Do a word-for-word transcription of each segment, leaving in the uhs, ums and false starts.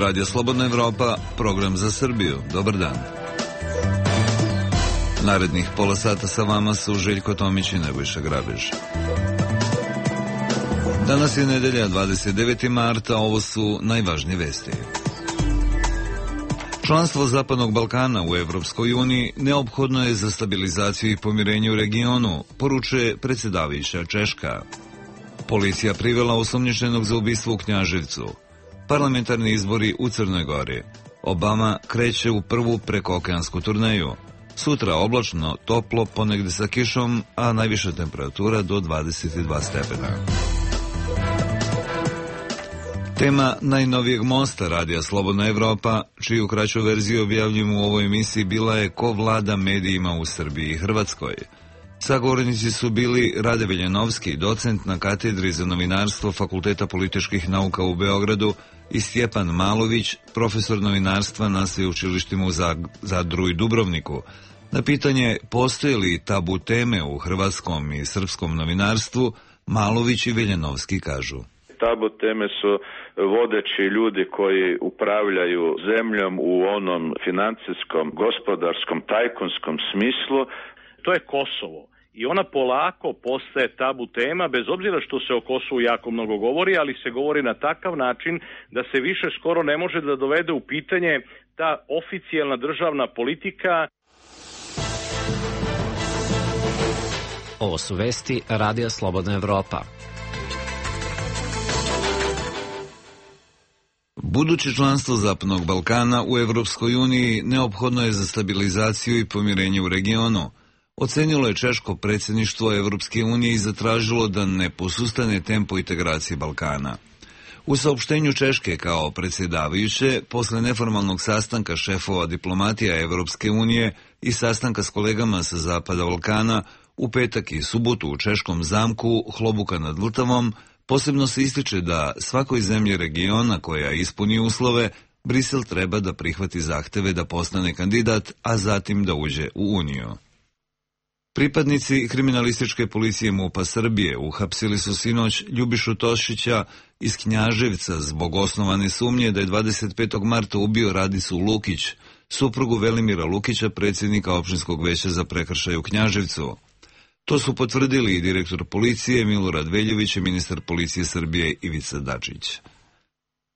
Radio Slobodna Evropa, program za Srbiju. Dobar dan. Narednih pola sata sa vama su Željko Tomić i Nebojša Grabež. Danas je nedelja, dvadeset deveti marta, ovo su najvažnije vesti. Članstvo Zapadnog Balkana u Evropskoj uniji neophodno je za stabilizaciju i pomirenje u regionu, poručuje predsjedavajuća Češka. Policija privela osumnjičenog za ubistvo u Knjaževcu. Parlamentarni izbori u Crnoj Gori. Obama kreće u prvu prekookeansku turneju. Sutra oblačno, toplo, ponegde sa kišom, a najviša temperatura do dvadeset dva stepena. Tema najnovijeg mosta Radija Slobodna Evropa, čiju kraću verziju objavljujemo u ovoj emisiji, bila je ko vlada medijima u Srbiji i Hrvatskoj. Sagovornici su bili Rade Veljanovski, docent na katedri za novinarstvo Fakulteta političkih nauka u Beogradu, i Stjepan Malović, profesor novinarstva na sveučilištima u Zadru i Dubrovniku. Na pitanje postoje li tabu teme u hrvatskom i srpskom novinarstvu, Malović i Veljanovski kažu: tabu teme su vodeći ljudi koji upravljaju zemljom u onom financijskom, gospodarskom, tajkunskom smislu. To je Kosovo. I ona polako postaje tabu tema, bez obzira što se o Kosovu jako mnogo govori, ali se govori na takav način da se više skoro ne može da dovede u pitanje ta oficijalna državna politika. Ovo su vesti Radija Slobodna Evropa. Buduće članstvo Zapadnog Balkana u Evropskoj uniji neophodno je za stabilizaciju i pomirenje u regionu. Ocenilo je češko predsjedništvo Evropske unije i zatražilo da ne posustane tempo integracije Balkana. U saopštenju Češke kao predsjedavajuće, posle neformalnog sastanka šefova diplomatija Evropske unije i sastanka s kolegama sa Zapada Balkana, u petak i subotu u češkom zamku Hlobuka nad Vltavom, posebno se ističe da svakoj zemlji regiona koja ispuni uslove, Brisel treba da prihvati zahteve da postane kandidat, a zatim da uđe u Uniju. Pripadnici kriminalističke policije MUP-a Srbije uhapsili su sinoć Ljubišu Tošića iz Knjaževca zbog osnovane sumnje da je dvadeset petog marta ubio Radicu Lukić, suprugu Velimira Lukića, predsjednika opštinskog veća za prekršaje u Knjaževcu. To su potvrdili i direktor policije Milorad Veljović i ministar policije Srbije Ivica Dačić.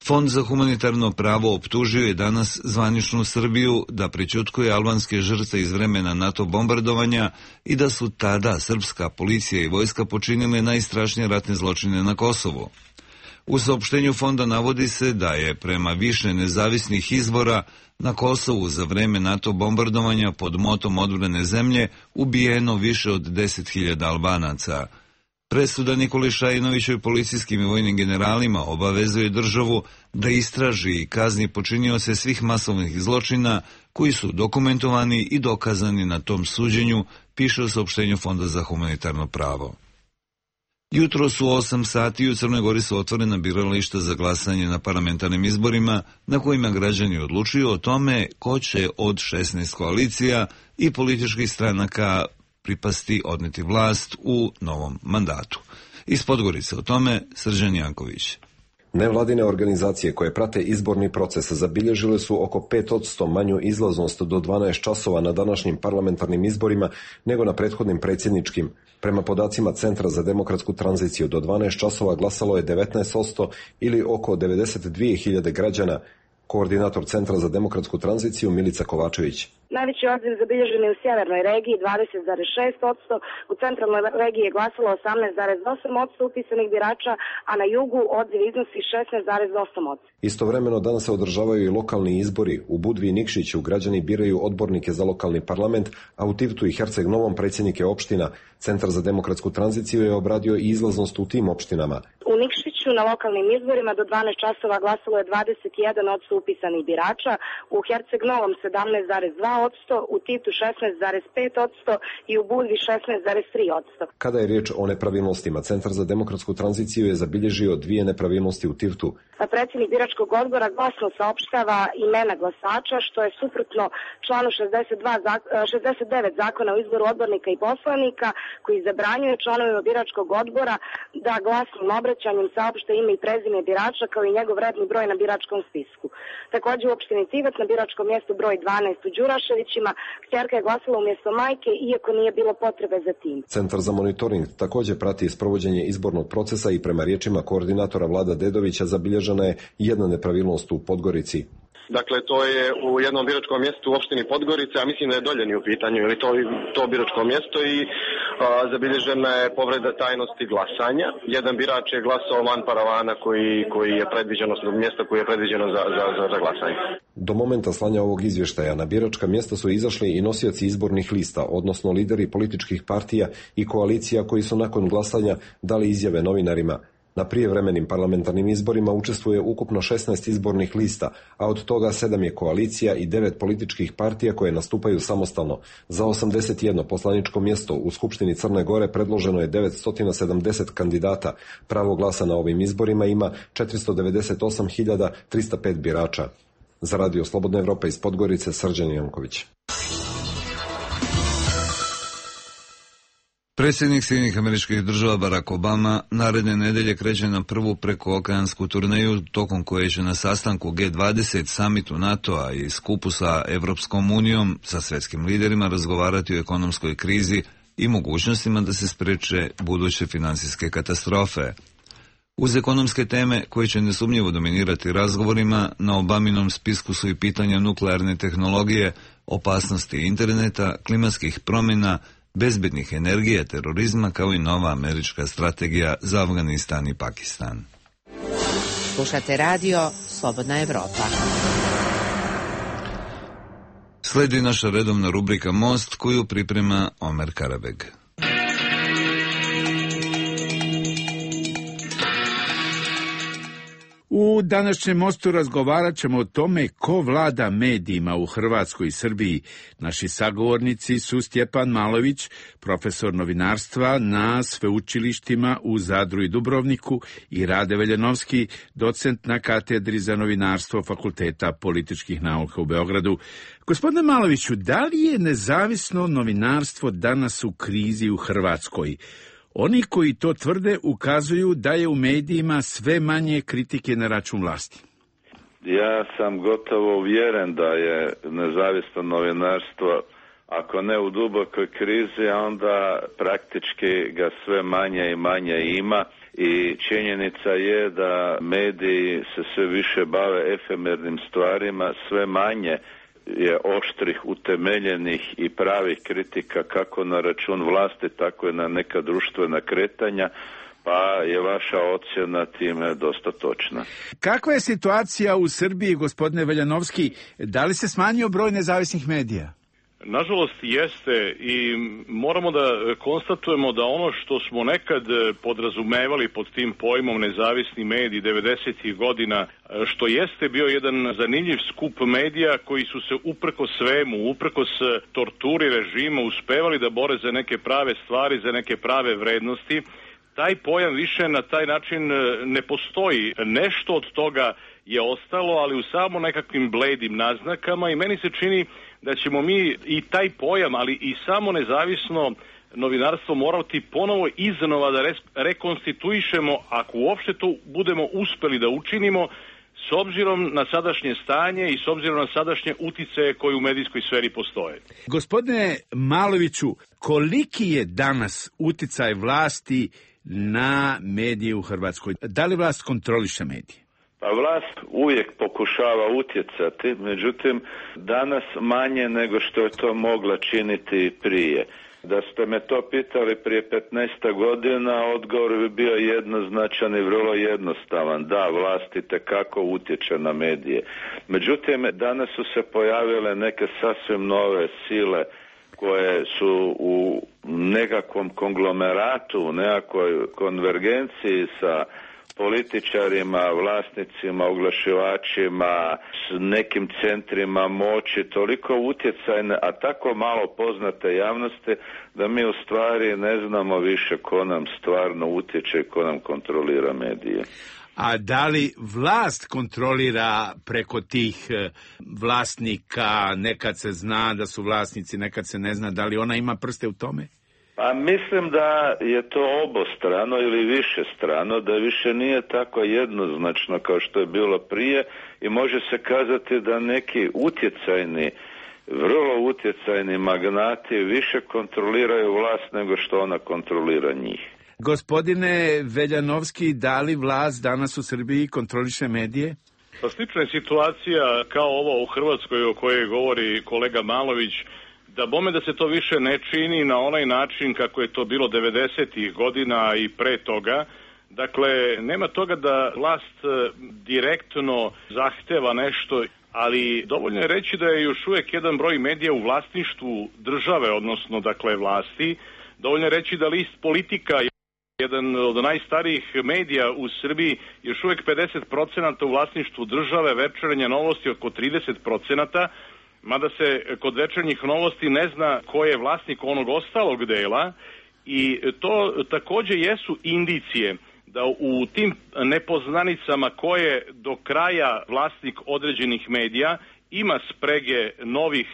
Fond za humanitarno pravo optužio je danas zvaničnu Srbiju da prećutkuje albanske žrtve iz vremena NATO bombardovanja i da su tada srpska policija i vojska počinile najstrašnije ratne zločine na Kosovu. U saopštenju fonda navodi se da je prema više nezavisnih izvora na Kosovu za vreme NATO bombardovanja pod motom odbrane zemlje ubijeno više od deset hiljada Albanaca. Presuda Nikoli Šajinoviću i policijskim i vojnim generalima obavezuje državu da istraži i kazni počinioce svih masovnih zločina koji su dokumentovani i dokazani na tom suđenju, piše u saopštenju Fonda za humanitarno pravo. Jutro su osam sati u Crnoj Gori su otvorena birališta za glasanje na parlamentarnim izborima na kojima građani odlučuju o tome ko će od šesnaest koalicija i političkih stranaka pripasti odneti vlast u novom mandatu. Iz Podgorice o tome Srđan Janković. Nevladine organizacije koje prate izborni proces zabilježile su oko pet posto manju izlaznost do dvanaest časova na današnjim parlamentarnim izborima nego na prethodnim predsjedničkim. Prema podacima Centra za demokratsku tranziciju do dvanaest časova glasalo je devetnaest posto ili oko devedeset dvije hiljade građana. Koordinator Centra za demokratsku tranziciju Milica Kovačević. Najveći odziv zabilježen je u sjevernoj regiji dvadeset zarez šest posto, u centralnoj regiji je glasalo osamnaest zarez osam posto upisanih birača, a na jugu odziv iznosi šesnaest zarez osam posto. Istovremeno danas se održavaju i lokalni izbori. U Budvi i Nikšiću građani biraju odbornike za lokalni parlament, a u Tivtu i Herceg Novom predsjednike opština. Centar za demokratsku tranziciju je obradio i izlaznost u tim opštinama. U Nikšiću na lokalnim izborima do dvanaest časova glasalo je dvadeset jedan posto upisanih birača, u Herceg Novom sedamnaest zarez dva posto, u Titu šesnaest zarez pet posto i u Budvi šesnaest zarez tri posto. Kada je riječ o nepravilnostima, Centar za demokratsku tranziciju je zabilježio dvije nepravilnosti u Tivtu. Predsjednik biračkog odbora glasno saopštava imena glasača, što je suprotno članu šezdeset dva, šezdeset devet zakona o izboru odbornika i poslanika, koji zabranjuje članovima biračkog odbora da glasnim obraćanjem saopšte ime i prezime birača kao i njegov redni broj na biračkom spisku. Također u opštini Tivat na biračkom mjestu broj dvanaest u Đuraševićima kćerka je glasala umjesto majke, iako nije bilo potrebe za tim. Centar za monitoring također prati sprovođenje izbornog procesa i prema riječima koordinatora Vlada Dedovića zabilježena je jedna nepravilnost u Podgorici. Dakle, to je u jednom biračkom mjestu u opštini Podgorica, a mislim da je Doljeni u pitanju, ili to, to biračko mjesto i a, zabilježena je povreda tajnosti glasanja. Jedan birač je glasao van paravana koji, koji je predviđeno, mjesto koje je predviđeno za, za, za, za glasanje. Do momenta slanja ovog izvještaja na biračka mjesta su izašli i nosioci izbornih lista, odnosno lideri političkih partija i koalicija koji su nakon glasanja dali izjave novinarima. Na prijevremenim parlamentarnim izborima učestvuje ukupno šesnaest izbornih lista, a od toga sedam je koalicija i devet političkih partija koje nastupaju samostalno. Za osamdeset jedno poslaničko mjesto u Skupštini Crne Gore predloženo je devetsto sedamdeset kandidata. Pravo glasa na ovim izborima ima četiristo devedeset osam hiljada trista pet birača. Za Radio Slobodna Evropa iz Podgorice, Srđan Janković. Predsjednik Sjedinjenih Američkih Država Barack Obama naredne nedelje kreće na prvu prekookeansku turneju tokom koje će na sastanku G dvadeset, samitu NATO-a i skupu sa Evropskom unijom sa svjetskim liderima razgovarati o ekonomskoj krizi i mogućnostima da se spreče buduće financijske katastrofe. Uz ekonomske teme koje će nesumnjivo dominirati razgovorima, na Obaminom spisku su i pitanja nuklearne tehnologije, opasnosti interneta, klimatskih promjena, bezbednih energija, terorizma, kao i nova američka strategija za Afganistan i Pakistan. Slušate radio Slobodna Evropa. Sledi naša redovna rubrika Most, koju priprema Omer Karabeg. U današnjem Mostu razgovarat ćemo o tome ko vlada medijima u Hrvatskoj i Srbiji. Naši sagovornici su Stjepan Malović, profesor novinarstva na sveučilištima u Zadru i Dubrovniku, i Rade Veljanovski, docent na katedri za novinarstvo Fakulteta političkih nauka u Beogradu. Gospodine Maloviću, da li je nezavisno novinarstvo danas u krizi u Hrvatskoj? Oni koji to tvrde ukazuju da je u medijima sve manje kritike na račun vlasti. Ja sam gotovo uvjeren da je nezavisno novinarstvo, ako ne u dubokoj krizi, onda praktički ga sve manje i manje ima, i činjenica je da mediji se sve više bave efemernim stvarima, sve manje je oštrih, utemeljenih i pravih kritika kako na račun vlasti, tako i na neka društvena kretanja, pa je vaša ocjena time dosta točna. Kakva je situacija u Srbiji, gospodine Veljanovski? Da li se smanjio broj nezavisnih medija? Nažalost jeste, i moramo da konstatujemo da ono što smo nekad podrazumevali pod tim pojmom nezavisni mediji devedesetih godina, što jeste bio jedan zanimljiv skup medija koji su se uprkos svemu, uprkos torturi režima uspevali da bore za neke prave stvari, za neke prave vrednosti, taj pojam više na taj način ne postoji. Nešto od toga je ostalo, ali u samo nekakvim bledim naznakama, i meni se čini da ćemo mi i taj pojam, ali i samo nezavisno novinarstvo morati ponovo iznova da rekonstituišemo, ako uopšte to budemo uspeli da učinimo, s obzirom na sadašnje stanje i s obzirom na sadašnje uticaje koje u medijskoj sferi postoje. Gospodine Maloviću, koliki je danas uticaj vlasti na medije u Hrvatskoj? Da li vlast kontroliše medije? Pa vlast uvijek pokušava utjecati, međutim danas manje nego što je to mogla činiti prije. Da ste me to pitali prije petnaest godina, odgovor bi bio jednoznačan i vrlo jednostavan. Da, vlast itekako utječe na medije. Međutim, danas su se pojavile neke sasvim nove sile koje su u nekakvom konglomeratu, u nekakvoj konvergenciji sa političarima, vlasnicima, oglašivačima, s nekim centrima moći, toliko utjecajne, a tako malo poznate javnosti, da mi u stvari ne znamo više ko nam stvarno utječe i ko nam kontrolira medije. A da li vlast kontrolira preko tih vlasnika, nekad se zna da su vlasnici, nekad se ne zna, da li ona ima prste u tome? Pa mislim da je to obostrano ili više strano, da više nije tako jednoznačno kao što je bilo prije i može se kazati da neki utjecajni, vrlo utjecajni magnati više kontroliraju vlast nego što ona kontrolira njih. Gospodine Veljanovski, da li vlast danas u Srbiji kontroliše medije? Pa slična je situacija kao ovo u Hrvatskoj o kojoj govori kolega Malović, da bome da se to više ne čini na onaj način kako je to bilo devedesetih godina i pre toga. Dakle, nema toga da vlast direktno zahteva nešto, ali dovoljno je reći da je još uvijek jedan broj medija u vlasništvu države, odnosno dakle vlasti. Dovoljno je reći da list Politika, jedan od najstarijih medija u Srbiji, još uvijek pedeset procenata u vlasništvu države, Večernje novosti oko trideset procenata, mada se kod Večernjih novosti ne zna ko je vlasnik onog ostalog dela i to također jesu indicije da u tim nepoznanicama ko je do kraja vlasnik određenih medija ima sprege novih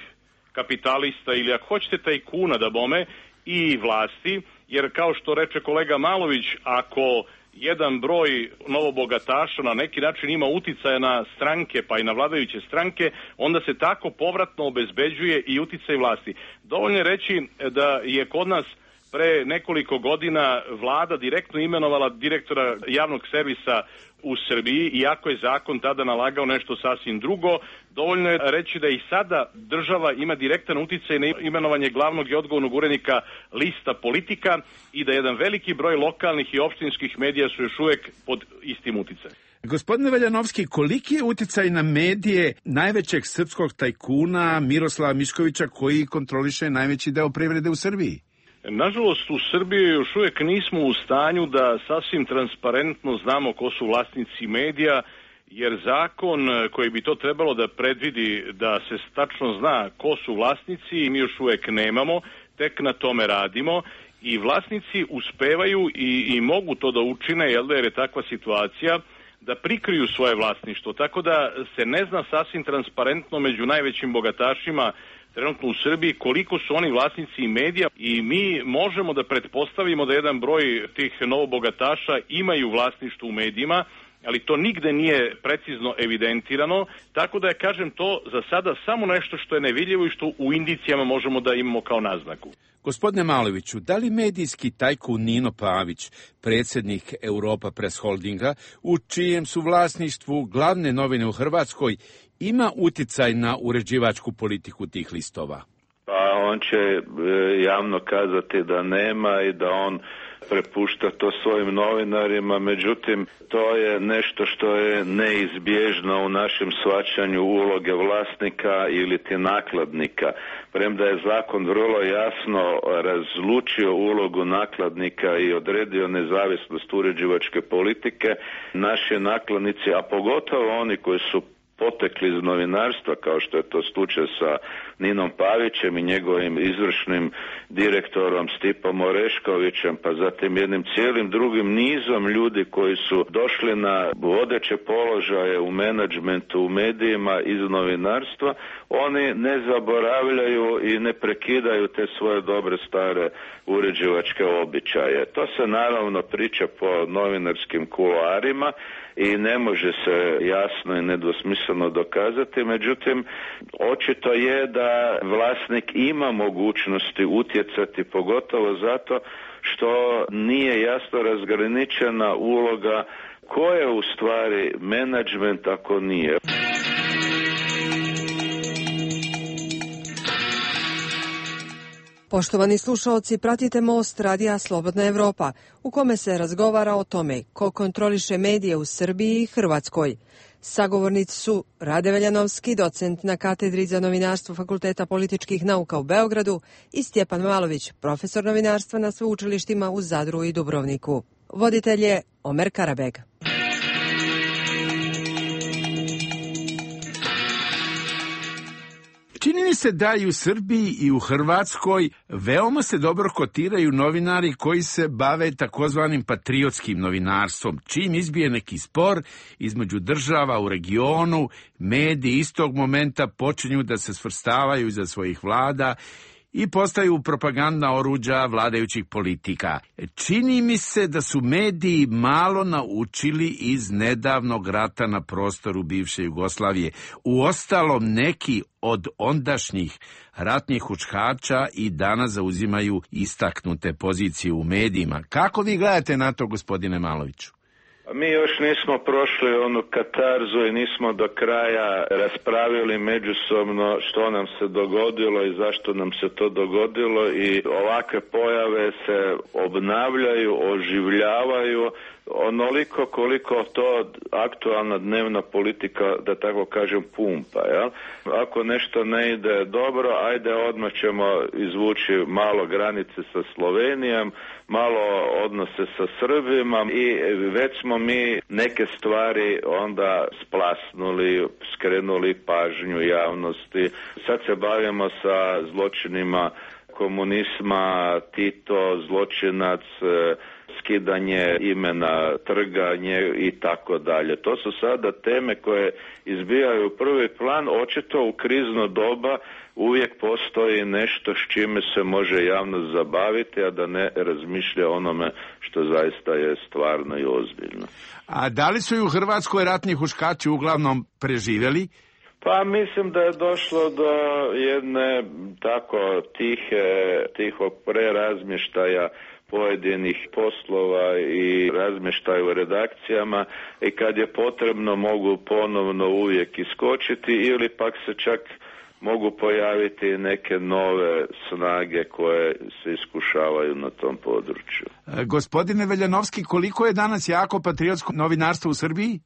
kapitalista ili ako hoćete tajkuna da bome i vlasti, jer kao što reče kolega Malović, ako jedan broj novobogataša na neki način ima uticaja na stranke pa i na vladajuće stranke, onda se tako povratno obezbeđuje i uticaj vlasti. Dovoljno je reći da je kod nas pre nekoliko godina vlada direktno imenovala direktora javnog servisa u Srbiji, iako je zakon tada nalagao nešto sasvim drugo. Dovoljno je reći da i sada država ima direktan uticaj na imenovanje glavnog i odgovornog urednika lista Politika i da jedan veliki broj lokalnih i opštinskih medija su još uvijek pod istim uticajem. Gospodine Veljanovski, koliki je uticaj na medije najvećeg srpskog tajkuna Miroslava Miškovića koji kontroliše najveći deo privrede u Srbiji? Nažalost, u Srbiji još uvijek nismo u stanju da sasvim transparentno znamo ko su vlasnici medija, jer zakon koji bi to trebalo da predvidi da se tačno zna ko su vlasnici mi još uvijek nemamo, tek na tome radimo i vlasnici uspevaju i, i mogu to da učine, jel da, jer je takva situacija, da prikriju svoje vlasništvo, tako da se ne zna sasvim transparentno među najvećim bogatašima trenutno u Srbiji koliko su oni vlasnici medija i mi možemo da pretpostavimo da jedan broj tih novobogataša imaju vlasništvo u medijima, ali to nigde nije precizno evidentirano, tako da je, kažem, to za sada samo nešto što je nevidljivo i što u indicijama možemo da imamo kao naznaku. Gospodine Maloviću, da li medijski tajkun Nino Pavić, predsjednik Europa Press Holdinga, u čijem su vlasništvu glavne novine u Hrvatskoj, ima uticaj na uređivačku politiku tih listova? Pa on će javno kazati da nema i da on prepušta to svojim novinarima, međutim to je nešto što je neizbježno u našem shvaćanju uloge vlasnika ili ti nakladnika. Premda je zakon vrlo jasno razlučio ulogu nakladnika i odredio nezavisnost uređivačke politike, naši nakladnici, a pogotovo oni koji su potekli iz novinarstva, kao što je to slučaj sa Ninom Pavićem i njegovim izvršnim direktorom Stipom Oreškovićem, pa zatim jednim cijelim drugim nizom ljudi koji su došli na vodeće položaje u menadžmentu, u medijima iz novinarstva, oni ne zaboravljaju i ne prekidaju te svoje dobre stare uređivačke običaje. To se naravno priča po novinarskim kuloarima i ne može se jasno i nedvosmisleno dokazati, međutim očito je da vlasnik ima mogućnosti utjecati, pogotovo zato što nije jasno razgraničena uloga ko je u stvari menadžment ako nije. Poštovani slušaoci, pratite Most radija Slobodna Evropa, u kome se razgovara o tome ko kontroliše medije u Srbiji i Hrvatskoj. Sagovornici su Rade Veljanovski, docent na katedri za novinarstvo Fakulteta političkih nauka u Beogradu, i Stjepan Malović, profesor novinarstva na sveučilištima u Zadru i Dubrovniku. Voditelj je Omer Karabeg. Čini mi se da i u Srbiji i u Hrvatskoj veoma se dobro kotiraju novinari koji se bave takozvanim patriotskim novinarstvom. Čim izbije neki spor između država u regionu, mediji istog momenta počinju da se svrstavaju iza svojih vlada i postaju propagandna oruđa vladajućih politika. Čini mi se da su mediji malo naučili iz nedavnog rata na prostoru bivše Jugoslavije. Uostalom, neki od ondašnjih ratnih huškača i danas zauzimaju istaknute pozicije u medijima. Kako vi gledate na to, gospodine Maloviću? Mi još nismo prošli onu katarzu i nismo do kraja raspravili međusobno što nam se dogodilo i zašto nam se to dogodilo, i ovakve pojave se obnavljaju, oživljavaju onoliko koliko to aktualna dnevna politika, da tako kažem, pumpa. Jel? Ako nešto ne ide dobro, ajde odmah ćemo izvući malo granice sa Slovenijom, malo odnose sa Srbima, i već smo mi neke stvari onda splasnuli, skrenuli pažnju javnosti. Sad se bavimo sa zločinima komunizma, Tito, zločinac, skidanje imena, trganje i tako dalje. To su sada teme koje izbijaju u prvi plan. Očito u krizno doba uvijek postoji nešto s čime se može javnost zabaviti, a da ne razmišlja onome što zaista je stvarno i ozbiljno. A da li su i u Hrvatskoj ratni huškači uglavnom preživjeli? Pa mislim da je došlo do jedne tako tihe, tihog prerazmještaja pojedinih poslova i razmještaja u redakcijama, i kad je potrebno mogu ponovno uvijek iskočiti, ili pak se čak mogu pojaviti neke nove snage koje se iskušavaju na tom području. E, gospodine Veljanovski, koliko je danas jako patriotsko novinarstvo u Srbiji?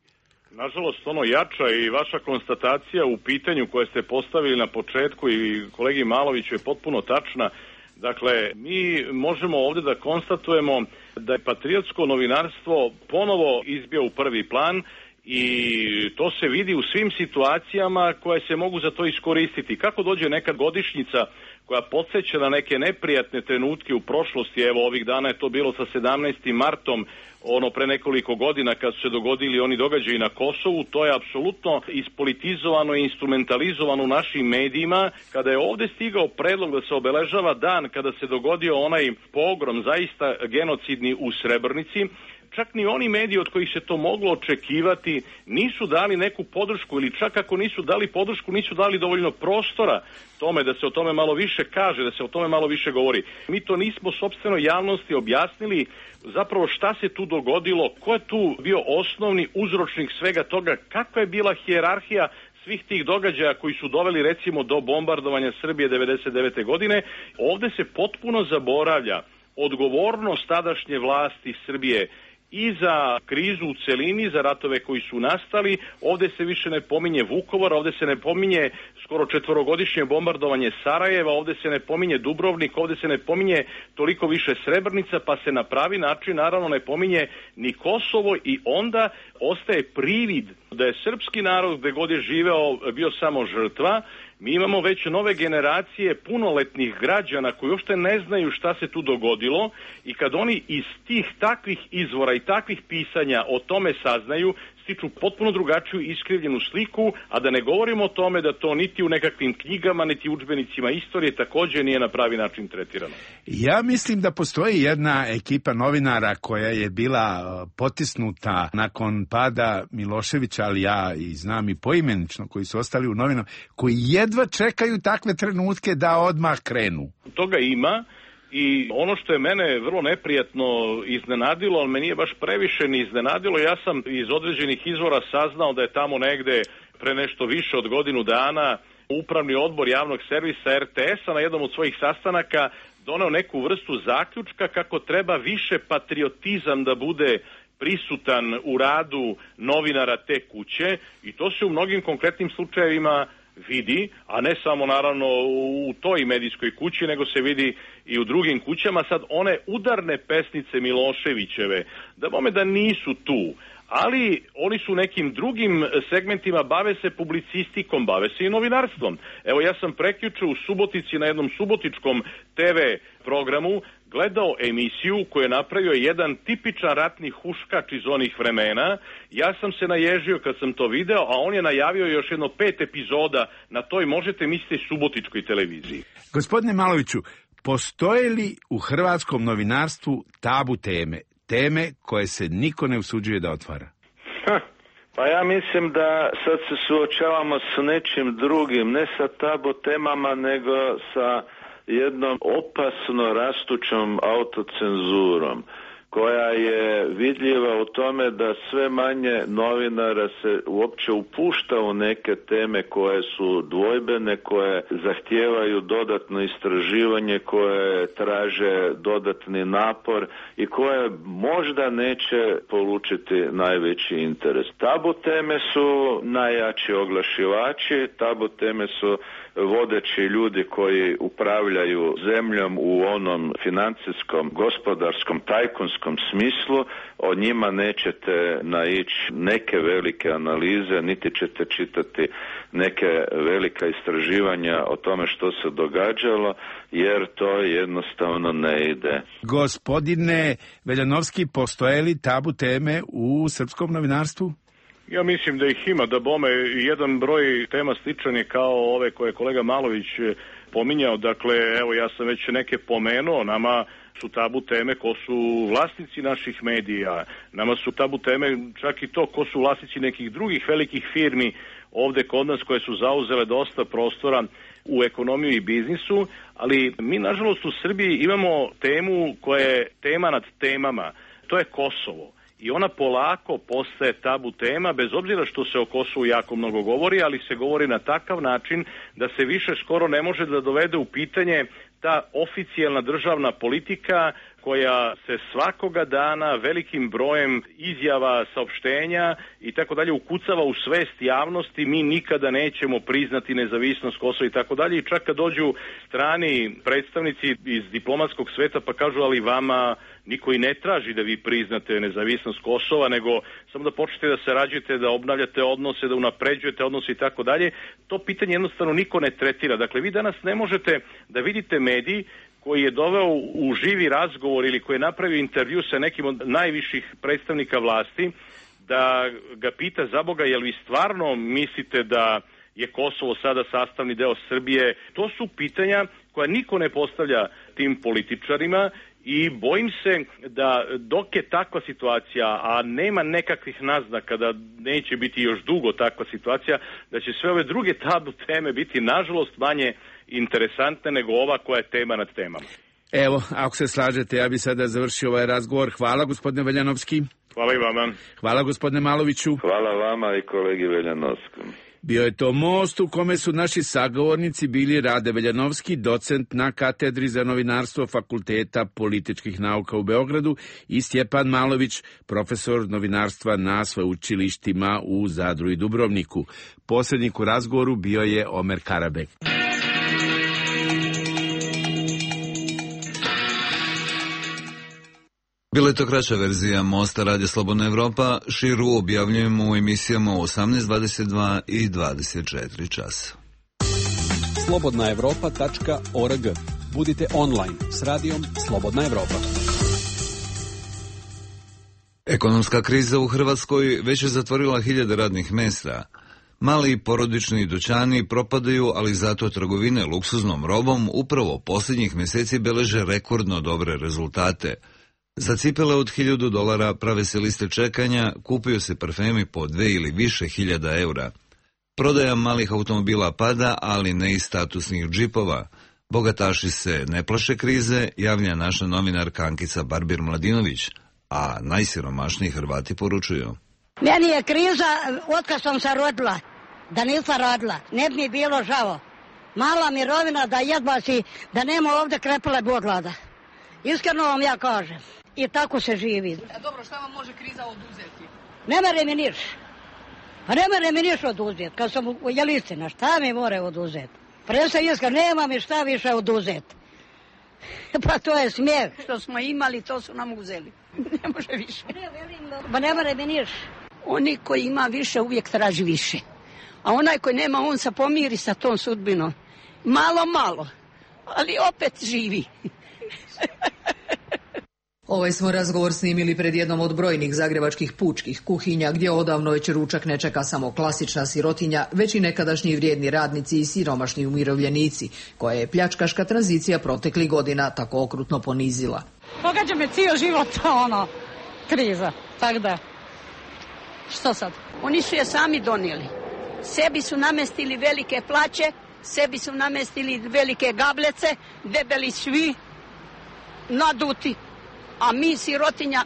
Nažalost, ono jača, i vaša konstatacija u pitanju koje ste postavili na početku i kolegi Maloviću je potpuno tačna. Dakle, mi možemo ovdje da konstatujemo da je patriotsko novinarstvo ponovo izbio u prvi plan, i to se vidi u svim situacijama koje se mogu za to iskoristiti. Kako dođe neka godišnjica koja podsjeća na neke neprijatne trenutke u prošlosti, evo ovih dana je to bilo sa sedamnaestim martom, ono pre nekoliko godina kad su se dogodili oni događaji na Kosovu, to je apsolutno ispolitizovano i instrumentalizovano u našim medijima. Kada je ovdje stigao predlog da se obeležava dan kada se dogodio onaj pogrom, zaista genocidni, u Srebrnici, čak ni oni mediji od kojih se to moglo očekivati nisu dali neku podršku, ili čak ako nisu dali podršku, nisu dali dovoljno prostora tome da se o tome malo više kaže, da se o tome malo više govori. Mi to nismo sopstveno javnosti objasnili zapravo šta se tu dogodilo, ko je tu bio osnovni uzročnik svega toga, kakva je bila hijerarhija svih tih događaja koji su doveli recimo do bombardovanja Srbije devedeset devete godine. Ovdje se potpuno zaboravlja odgovornost tadašnje vlasti Srbije i za krizu u celini, za ratove koji su nastali. Ovdje se više ne pominje Vukovar, ovdje se ne pominje skoro četvorogodišnje bombardovanje Sarajeva, ovdje se ne pominje Dubrovnik, ovdje se ne pominje toliko više Srebrenica, pa se na pravi način naravno ne pominje ni Kosovo, i onda ostaje privid da je srpski narod gde god je živeo bio samo žrtva. Mi imamo već nove generacije punoletnih građana koji uopšte ne znaju šta se tu dogodilo, i kad oni iz tih takvih izvora i takvih pisanja o tome saznaju, stiču potpuno drugačiju iskrivljenu sliku, a da ne govorimo o tome da to niti u nekakvim knjigama, niti u udžbenicima istorije također nije na pravi način tretirano. Ja mislim da postoji jedna ekipa novinara koja je bila potisnuta nakon pada Miloševića, ali ja i znam i poimenično koji su ostali u novinama, koji jedva čekaju takve trenutke da odmah krenu. Toga ima. I ono što je mene vrlo neprijatno iznenadilo, ali me nije baš previše ni iznenadilo, ja sam iz određenih izvora saznao da je tamo negde pre nešto više od godinu dana upravni odbor javnog servisa er te es-a na jednom od svojih sastanaka doneo neku vrstu zaključka kako treba više patriotizam da bude prisutan u radu novinara te kuće, i to se u mnogim konkretnim slučajevima vidi, a ne samo naravno u toj medijskoj kući, nego se vidi i u drugim kućama. Sad one udarne pesnice Miloševićeve, da bome da nisu tu, ali oni su nekim drugim segmentima, bave se publicistikom, bave se i novinarstvom. Evo, ja sam prekjuče u Subotici na jednom subotičkom te ve programu gledao emisiju koju je napravio jedan tipičan ratni huškač iz onih vremena. Ja sam se naježio kad sam to video, a on je najavio još jedno pet epizoda na toj, možete misliti, subotičkoj televiziji. Gospodine Maloviću, postoje li u hrvatskom novinarstvu tabu teme? Teme koje se niko ne usuđuje da otvara? Ha, pa ja mislim da sad se suočavamo s nečim drugim, ne sa tabu temama, nego sa jednom opasno rastućom autocenzurom, koja je vidljiva u tome da sve manje novinara se uopće upušta u neke teme koje su dvojbene, koje zahtijevaju dodatno istraživanje, koje traže dodatni napor i koje možda neće polučiti najveći interes. Tabu teme su najjači oglašivači, tabu teme su vodeći ljudi koji upravljaju zemljom u onom financijskom, gospodarskom, tajkunskom smislu. O njima nećete naići neke velike analize, niti ćete čitati neke velika istraživanja o tome što se događalo, jer to jednostavno ne ide. Gospodine Veljanovski, postoje li tabu teme u srpskom novinarstvu? Ja mislim da ih ima, da bome jedan broj tema sličan je kao ove koje je kolega Malović pominjao. Dakle, evo, ja sam već neke pomenuo, nama su tabu teme ko su vlasnici naših medija, nama su tabu teme čak i to ko su vlasnici nekih drugih velikih firmi ovde kod nas koje su zauzele dosta prostora u ekonomiju i biznisu, ali mi nažalost u Srbiji imamo temu koja je tema nad temama, to je Kosovo. I ona polako postaje tabu tema, bez obzira što se o Kosovu jako mnogo govori, ali se govori na takav način da se više skoro ne može da dovede u pitanje ta oficijalna državna politika koja se svakoga dana velikim brojem izjava, saopštenja i tako dalje ukucava u svest javnosti. Mi nikada nećemo priznati nezavisnost Kosova i tako dalje. I čak kad dođu strani predstavnici iz diplomatskog sveta pa kažu, ali vama niko i ne traži da vi priznate nezavisnost Kosova, nego samo da počnete da sarađujete, da obnavljate odnose, da unapređujete odnose i tako dalje. To pitanje jednostavno niko ne tretira. Dakle, vi danas ne možete da vidite medij koji je doveo u živi razgovor ili koji je napravio intervju sa nekim od najviših predstavnika vlasti, da ga pita, za Boga, jel vi stvarno mislite da je Kosovo sada sastavni deo Srbije? To su pitanja koja niko ne postavlja tim političarima i bojim se da dok je takva situacija, a nema nekakvih naznaka da neće biti još dugo takva situacija, da će sve ove druge tabu teme biti nažalost manje interesantne nego ova koja je tema nad temama. Evo, ako se slažete, ja bi sada završio ovaj razgovor. Hvala, gospodine Veljanovski. Hvala i vama. Hvala, gospodine Maloviću. Hvala vama i kolegi Veljanovskom. Bio je to most u kome su naši sagovornici bili Rade Veljanovski, docent na katedri za novinarstvo Fakulteta političkih nauka u Beogradu, i Stjepan Malović, profesor novinarstva na sveučilištima u Zadru i Dubrovniku. Posrednik u razgovoru bio je Omer Karabek. Bila je to kraća verzija Mosta Radija Slobodna Evropa, širu objavljujemo u emisijama u osamnaest, dvadeset dva i dvadeset četiri časa. slobodna evropa tačka org. Budite online s radijom Slobodna Evropa. Ekonomska kriza u Hrvatskoj već je zatvorila hiljade radnih mesta. Mali i porodični dućani propadaju, ali zato trgovine luksuznom robom upravo posljednjih mjeseci beleže rekordno dobre rezultate. Za cipele od hiljadu dolara prave se liste čekanja, kupuju se parfemi po dve ili više hiljada eura. Prodaja malih automobila pada, ali ne i statusnih džipova. Bogataši se ne plaše krize, javlja naša novinarka Ankica Barbir-Mladinović, a najsiromašniji Hrvati poručuju. Meni je kriza otkad sam se rodila, da nisam radila, ne bi mi bilo žao. Mala mirovina da jedva si, da nema ovdje krepile boglada. Iskreno vam ja kažem. I tako se živi. A dobro, šta vam može kriza oduzeti? Ne mere mi niš. Pa ne mere mi niš oduzeti. Kad sam u Jelistina, šta mi more oduzeti? Presa iskra, nema mi šta više oduzeti. Pa to je smijeh. Što smo imali, to su nam uzeli. Ne može više. Ba ne mora da niš. Oni koji ima više uvijek traži više. A onaj koji nema, on se pomiri sa tom sudbinom. Malo, malo. Ali opet živi. Ovaj smo razgovor snimili pred jednom od brojnih zagrebačkih pučkih kuhinja, gdje odavno već ručak ne čeka samo klasična sirotinja, već i nekadašnji vrijedni radnici i siromašni umirovljenici, koje je pljačkaška tranzicija proteklih godina tako okrutno ponizila. Pogađa me cijel život, ono, kriza, tako da, što sad? Oni su je sami donijeli. Sebi su namestili velike plaće, sebi su namestili velike gablece, debeli svi, naduti. A mi, sirotinja,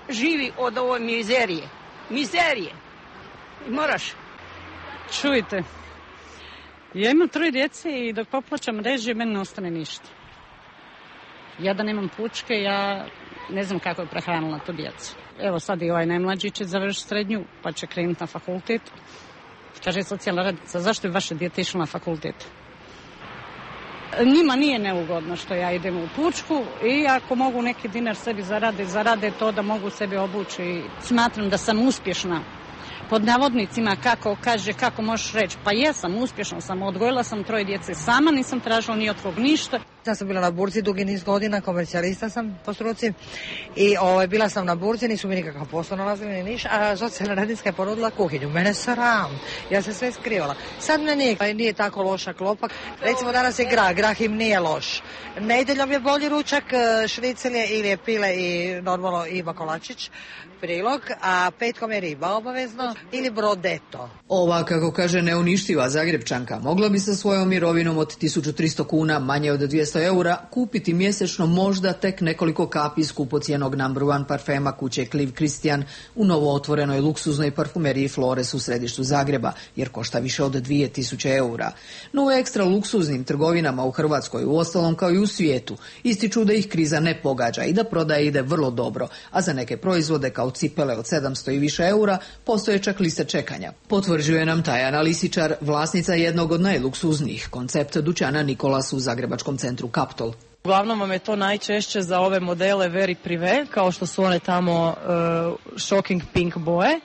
živi od ove mizerije. Mizerije. I moraš. Čujte, ja imam troje djece i dok poplaćam režije, meni ne ostane ništa. Ja da nemam pučke, ja ne znam kako je prehranila tu djecu. Evo sad i ovaj najmlađi će završiti srednju, pa će krenuti na fakultet. Kaže socijalna radnica, zašto je vaše dijete išlo na fakultet? Njima nije neugodno što ja idem u pučku i ako mogu neki dinar sebi zarade, zarade to da mogu sebi obući. Smatram da sam uspješna. Pod navodnicima, kako kaže, kako možeš reći, pa jesam, uspješna sam, odgojila sam troje djece sama, nisam tražila ni od kog ništa. Ja sam bila na burzi dugi niz godina, komercijalista sam po struci i ovaj, bila sam na burzi, nisu mi nikakav posao nalazili ni niš, a socijalna radnicka je ponudila kuhinju. Mene sram, ja se sve skrivala. Sad me nije, nije tako loša klopa. Recimo danas je grah, grah im nije loš. Nedjeljom je bolji ručak, šnicelje ili je pile i normalno Iva Kolačić, prilog, a petkom je riba obavezno ili brodeto. Ova, kako kaže neuništiva Zagrebčanka, mogla bi sa svojom mirovinom od tisuću tristo kuna, manje od dvjesto eura, kupiti mjesečno možda tek nekoliko kapi skupocijenog number one parfema kuće Clive Christian u novo otvorenoj luksuznoj parfumeriji Flores u središtu Zagreba, jer košta više od dvije tisuće eura. No u ekstra luksuznim trgovinama u Hrvatskoj, u ostalom kao i u svijetu, ističu da ih kriza ne pogađa i da prodaja ide vrlo dobro, a za neke proizvode kao cipele od sedamsto i više eura postoje čak liste čekanja. Potvrđuje nam Tajana Lisičar, vlasnica jednog od najluksuznijih koncept dućana Nikolas u zagrebačkom centru Kaptol. Uglavnom vam je to najčešće za ove modele very privé, kao što su one tamo uh, shocking pink boje.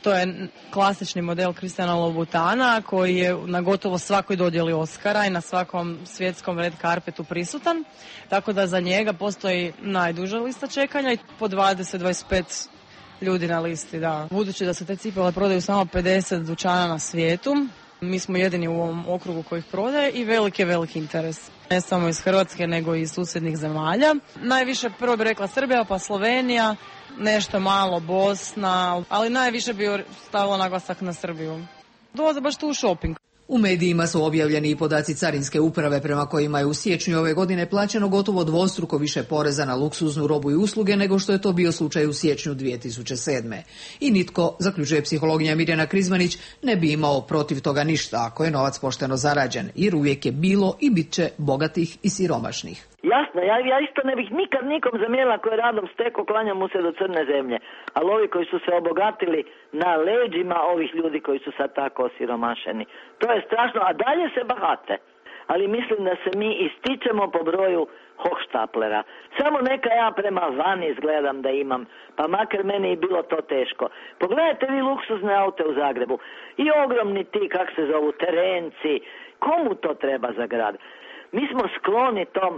To je klasični model Christiana Louboutana koji je na gotovo svakoj dodjeli Oscara i na svakom svjetskom red carpetu prisutan. Tako da za njega postoji najduža lista čekanja i po dvadeset do dvadeset pet ljudi na listi, da. Budući da se te cipele prodaju samo pedeset dućana na svijetu, mi smo jedini u ovom okrugu koji ih prodaje i veliki je veliki interes. Ne samo iz Hrvatske, nego i iz susjednih zemalja. Najviše prvo bi rekla Srbija, pa Slovenija, nešto malo Bosna, ali najviše bi stavila naglasak na Srbiju. Dolaze baš tu u shopping. U medijima su objavljeni i podaci Carinske uprave prema kojima je u siječnju ove godine plaćeno gotovo dvostruko više poreza na luksuznu robu i usluge nego što je to bio slučaj u siječnju dvije tisuće sedme. I nitko, zaključuje psihologija Mirjana Krizmanić, ne bi imao protiv toga ništa ako je novac pošteno zarađen, jer uvijek je bilo i bit će bogatih i siromašnih. Jasno, ja, ja isto ne bih nikad nikom zamjerila koji je radom steko, klanjam mu se do crne zemlje. Ali ovi koji su se obogatili na leđima ovih ljudi koji su sad tako osiromašeni, to je strašno, a dalje se bahate. Ali mislim da se mi ističemo po broju hohštaplera. Samo neka ja prema van izgledam da imam, pa makar meni i bilo to teško. Pogledajte vi luksuzne aute u Zagrebu i ogromni ti, kak se zovu, terenci. Komu to treba za grad? Mi smo skloni tom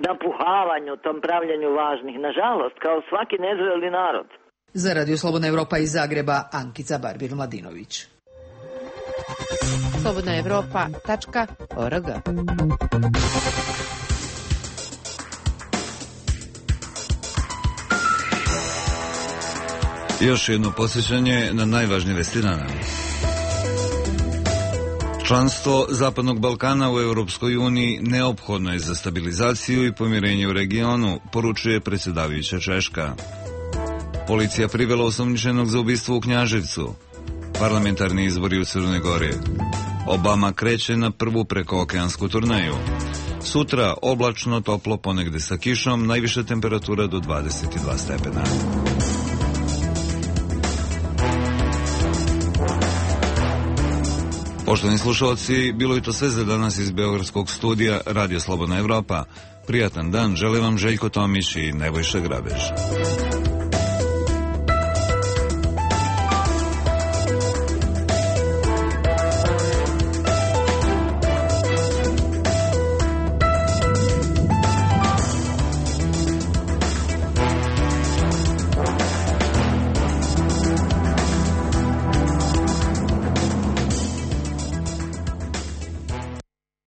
napuhavanju, tom pravljenju važnih, nažalost, kao svaki nezreli narod. Za Radio Slobodna Evropa iz Zagreba, Ankica Barbir-Mladinović. slobodna evropa tačka org. Još jedno posjećanje na najvažnije vesti dana. Članstvo Zapadnog Balkana u Europskoj uniji neophodno je za stabilizaciju i pomirenje u regionu, poručuje predsjedavajuća Češka. Policija privela osumnjičenog za ubistvo u Knjaževcu. Parlamentarni izbori u Crnoj Gori. Obama kreće na prvu prekookeansku turneju. Sutra oblačno, toplo, ponegde sa kišom, najviša temperatura do dvadeset dva stepena. Poštovani slušalci, bilo je to sve za danas iz beogradskog studija Radio Slobodna Evropa. Prijatan dan, žele vam Željko Tomić i Nebojša Grabež.